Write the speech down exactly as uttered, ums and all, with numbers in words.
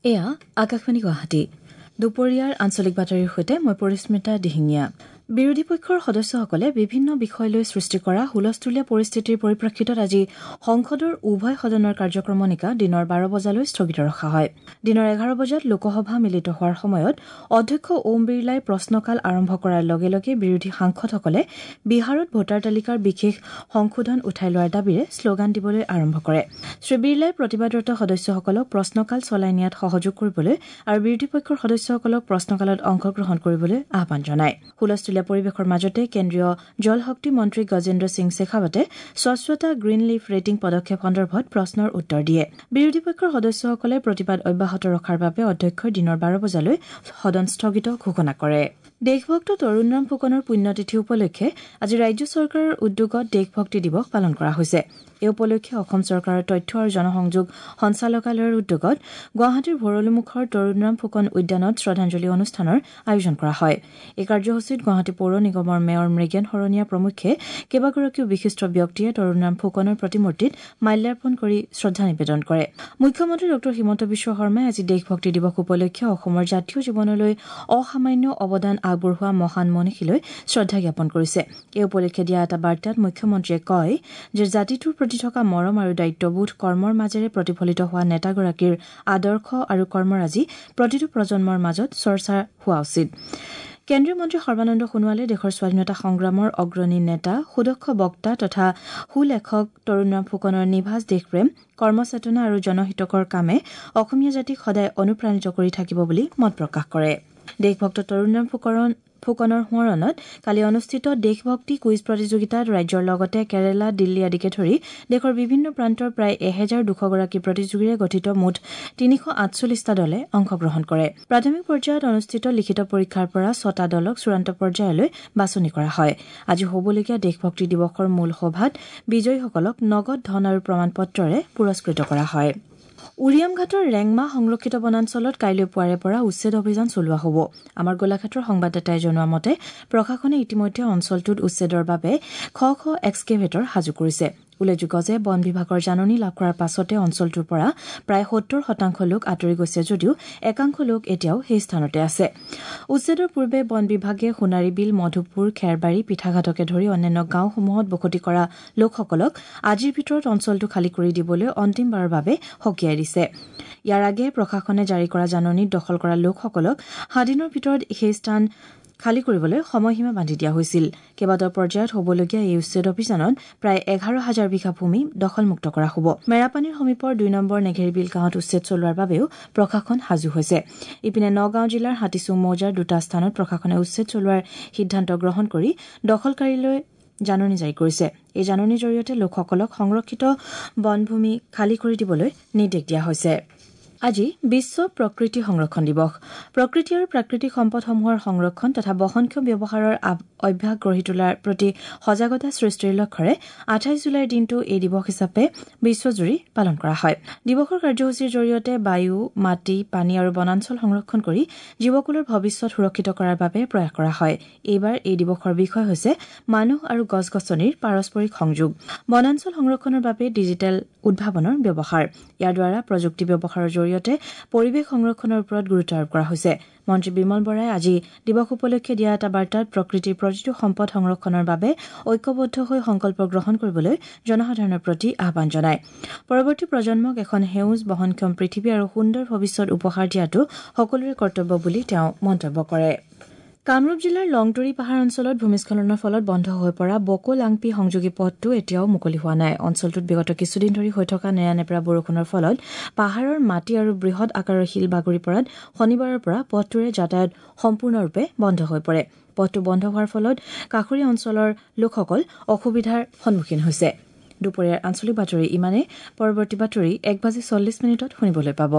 এয়া আকাশবাণী গুৱাহাটী। দুপৰীয়াৰ আঞ্চলিক বাতৰিৰ সৈতে মই পৰিস্মিতা দিহিঙীয়া। বিৰোধী পক্ষৰ সদস্যসকলে বিভিন্ন বিষয় লৈ সৃষ্টি কৰা হুলস্থুলীয়া পৰিস্থিতিৰ পৰিপ্ৰেক্ষিতত আজি সংসদৰ উভয় সদনৰ কাৰ্যক্ৰমণিকা দিনৰ বাৰ বজালৈ স্থগিত ৰখা হয়। দিনৰ এঘাৰ বজাত লোকসভা মিলিত হোৱাৰ সময়ত অধ্যক্ষ ওম বিৰলাই প্ৰশ্নকাল আৰম্ভ কৰাৰ লগে লগে বিৰোধী সাংসদসকলে বিহাৰত ভোটাৰ তালিকাৰ বিশেষ সংশোধন উঠাই লোৱাৰ দাবীৰে শ্লোগান দিবলৈ আৰম্ভ কৰে। শ্ৰী বিৰলাই প্ৰতিবাদৰত সদস্যসকলক প্ৰশ্নকাল চলাই নিয়াত সহযোগ কৰিবলৈ আৰু বিৰোধী পক্ষৰ সদস্যসকলক প্ৰশ্নকালত অংশগ্ৰহণ কৰিবলৈ আহ্বান জনায়। হুলস্থুলীয়া পৰিৱেশৰ মাজতে কেন্দ্ৰীয় জল শক্তি মন্ত্ৰী গজেন্দ্ৰ সিং শেখাৱটে স্বচ্ছতা গ্ৰীণ লিফ ৰেটিং পদক্ষেপ সন্দৰ্ভত প্ৰশ্নৰ উত্তৰ দিয়ে। বিৰোধী পক্ষৰ সদস্যসকলে প্ৰতিবাদ অব্যাহত ৰখাৰ বাবে অধ্যক্ষই দিনৰ বাৰ বজালৈ সদন স্থগিত ঘোষণা কৰে। দেশভক্ত তৰুণৰাম ফুকনৰ পুণ্যতিথি উপলক্ষে আজি ৰাজ্য চৰকাৰৰ উদ্যোগত দেশভক্তি দিৱস পালন কৰা হৈছে। এই উপলক্ষে অসম চৰকাৰৰ তথ্য আৰু জনসংযোগ সঞ্চালকালয়ৰ উদ্যোগত গুৱাহাটীৰ ভৰলুমুখৰ তৰুণৰাম ফুকন উদ্যানত শ্ৰদ্ধাঞ্জলি অনুষ্ঠানৰ আয়োজন কৰা হয়। এই কাৰ্যসূচীত গুৱাহাটী পৌৰ নিগমৰ মেয়ৰ মৃগেন শৰণীয়া প্ৰমুখ্যে কেইবাগৰাকীও বিশিষ্ট ব্যক্তিয়ে তৰুণৰাম ফুকনৰ প্ৰতিমূৰ্তিত মাল্যাৰ্পণ কৰি শ্ৰদ্ধা নিবেদন কৰে। মুখ্যমন্ত্ৰী ডঃ হিমন্ত বিশ্ব শৰ্মাই আজি দেশভক্তি দিৱস উপলক্ষে অসমৰ জাতীয় জীৱনলৈ অসামান্য অৱদান আগবঢ়োৱা মহান মনীষীলৈ শ্ৰদ্ধা জ্ঞাপন কৰিছে। এই উপলক্ষে দিয়া এটা বাৰ্তাত মুখ্যমন্ত্ৰীয়ে কয় যে জাতিটোৰ প্ৰতি থকা মৰম আৰু দায়িত্ববোধ কৰ্মৰ মাজেৰে প্ৰতিফলিত হোৱা নেতাগৰাকীৰ আদৰ্শ আৰু কৰ্মৰাজি প্ৰতিটো প্ৰজন্মৰ মাজত চৰ্চা হোৱা উচিত। কেন্দ্ৰীয় মন্ত্ৰী সৰ্বানন্দ সোণোৱালে দেশৰ স্বাধীনতা সংগ্ৰামৰ অগ্ৰণী নেতা, সুদক্ষ বক্তা তথা সুলেখক তৰুণৰাম ফুকনৰ নিভাঁজ দেশপ্ৰেম, কৰ্মচেতনা আৰু জনহিতকৰ কামে অসমীয়া জাতিক সদায় অনুপ্ৰাণিত কৰি থাকিব বুলি মত প্ৰকাশ কৰে। দেশভক্ত তৰুণৰাম ফুকন ফুকনৰ সোঁৱৰণত কালি অনুষ্ঠিত দেশভক্তি কুইজ প্ৰতিযোগিতাত ৰাজ্যৰ লগতে কেৰালা, দিল্লী আদিকে ধৰি দেশৰ বিভিন্ন প্ৰান্তৰ প্ৰায় এহেজাৰ দুশগৰাকী প্ৰতিযোগীৰে গঠিত মুঠ তিনিশ আঠচল্লিছটা দলে অংশগ্ৰহণ কৰে। প্ৰাথমিক পৰ্যায়ত অনুষ্ঠিত লিখিত পৰীক্ষাৰ পৰা ছটা দলক চূড়ান্ত পৰ্যায়লৈ বাছনি কৰা হয়। আজি হ'বলগীয়া দেশভক্তি দিৱসৰ মূল সভাত বিজয়ীসকলক নগদ ধন আৰু প্ৰমাণপত্ৰৰে পুৰস্কৃত কৰা হয়। উৰিয়ামঘাটৰ ৰেংমা সংৰক্ষিত বনাঞ্চলত কাইলৈ পুৱাৰে পৰা উচ্ছেদ অভিযান চলোৱা হ'ব। আমাৰ গোলাঘাটৰ সংবাদদাতাই জনোৱা মতে প্ৰশাসনে ইতিমধ্যে অঞ্চলটোত উচ্ছেদৰ বাবে শ শ এক্সকেভেটৰ সাজু কৰিছে। উল্লেখযোগ্য যে বন বিভাগৰ জাননী লাভ কৰাৰ পাছতে অঞ্চলটোৰ পৰা প্ৰায় সত্তৰ শতাংশ লোক আঁতৰি গৈছে যদিও একাংশ লোক এতিয়াও সেই স্থানতে আছে। উচ্ছেদৰ পূৰ্বে বন বিভাগে সোণাৰীবিল, মধুপুৰ, খেৰবাৰী, পিঠাঘাটকে ধৰি অন্যান্য গাঁওসমূহত বসতি কৰা লোকসকলক আজিৰ ভিতৰত অঞ্চলটো খালী কৰি দিবলৈ অন্তিমবাৰৰ বাবে সকীয়াই দিছে। ইয়াৰ আগেয়ে প্ৰশাসনে জাৰি কৰা জাননীত দখল কৰা লোকসকলক সাত দিনৰ ভিতৰত সেই স্থান খালী কৰিবলৈ সময়সীমা বান্ধি দিয়া হৈছিল। কেইবাটাও পৰ্যায়ত হ'বলগীয়া এই উচ্ছেদ অভিযানত প্ৰায় এঘাৰ হাজাৰ বিঘা ভূমি দখলমুক্ত কৰা হ'ব। মেৰাপানীৰ সমীপৰ দুই নম্বৰ নেঘেৰিবিল গাঁৱত উচ্ছেদ চলোৱাৰ বাবেও প্ৰশাসন সাজু হৈছে। ইপিনে নগাঁও জিলাৰ হাতীচুং মৌজাৰ দুটা স্থানত প্ৰশাসনে উচ্ছেদ চলোৱাৰ সিদ্ধান্ত গ্ৰহণ কৰি দখলকাৰীলৈ জাননী জাৰি কৰিছে। এই জাননীৰ জৰিয়তে লোকসকলক সংৰক্ষিত বনভূমি খালী কৰি দিবলৈ নিৰ্দেশ দিয়া হৈছে। আজি বিশ্ব প্ৰকৃতি সংৰক্ষণ দিৱস। প্ৰকৃতি আৰু প্ৰাকৃতিক সম্পদসমূহৰ সংৰক্ষণ তথা বহনক্ষম ব্যৱহাৰৰ অভ্যাস গঢ়ি তোলাৰ প্ৰতি সজাগতা সৃষ্টিৰ লক্ষ্যৰে আঠাইছ জুলাইৰ দিনটো এই দিৱস হিচাপে বিশ্বজুৰি পালন কৰা হয়। দিৱসৰ কাৰ্যসূচীৰ জৰিয়তে বায়ু, মাটি, পানী আৰু বনাঞ্চল সংৰক্ষণ কৰি জীৱকুলৰ ভৱিষ্যত সুৰক্ষিত কৰাৰ বাবে প্ৰয়াস কৰা হয়। এইবাৰ এই দিৱসৰ বিষয় হৈছে মানুহ আৰু গছ গছনিৰ পাৰস্পৰিক সংযোগ, বনাঞ্চল সংৰক্ষণৰ বাবে ডিজিটেল উদ্ভাৱনৰ ব্যৱহাৰ। ইয়াৰ দ্বাৰা প্ৰযুক্তি ব্যৱহাৰৰ জৰিয়তে পৰিৱেশ সংৰক্ষণৰ ওপৰত গুৰুত্ব আৰোপ কৰা হৈছে। মন্ত্ৰী বিমল বৰাই আজি দিৱস উপলক্ষে দিয়া এটা বাৰ্তাত প্ৰকৃতিৰ প্ৰতিটো সম্পদ সংৰক্ষণৰ বাবে ঐক্যবদ্ধ হৈ সংকল্প গ্ৰহণ কৰিবলৈ জনসাধাৰণৰ প্ৰতি আহ্বান জনায়। পৰৱৰ্তী প্ৰজন্মক এখন সেউজ, বহনক্ষম পৃথিৱী আৰু সুন্দৰ ভৱিষ্যত উপহাৰ দিয়াটো সকলোৰে কৰ্তব্য বুলি তেওঁ মন্তব্য কৰে। কামৰূপ জিলাৰ লংটুৰি পাহাৰ অঞ্চলত ভূমিস্খলনৰ ফলত বন্ধ হৈ পৰা বকো লাংপি সংযোগী পথটো এতিয়াও মুকলি হোৱা নাই। অঞ্চলটোত বিগত কিছুদিন ধৰি হৈ থকা নেৰানেপেৰা বৰষুণৰ ফলত পাহাৰৰ মাটি আৰু বৃহৎ আকাৰৰ শিল বাগৰি পৰাত শনিবাৰৰ পৰা পথটোৰে যাতায়াত সম্পূৰ্ণৰূপে বন্ধ হৈ পৰে। পথটো বন্ধ হোৱাৰ ফলত কাষৰীয়া অঞ্চলৰ লোকসকল অসুবিধাৰ সন্মুখীন হৈছে। দুপৰীয়াৰ আঞ্চলিক বাতৰি ইমানেই। পৰৱৰ্তী বাতৰি এক বাজি চল্লিছ মিনিটত শুনিবলৈ পাব।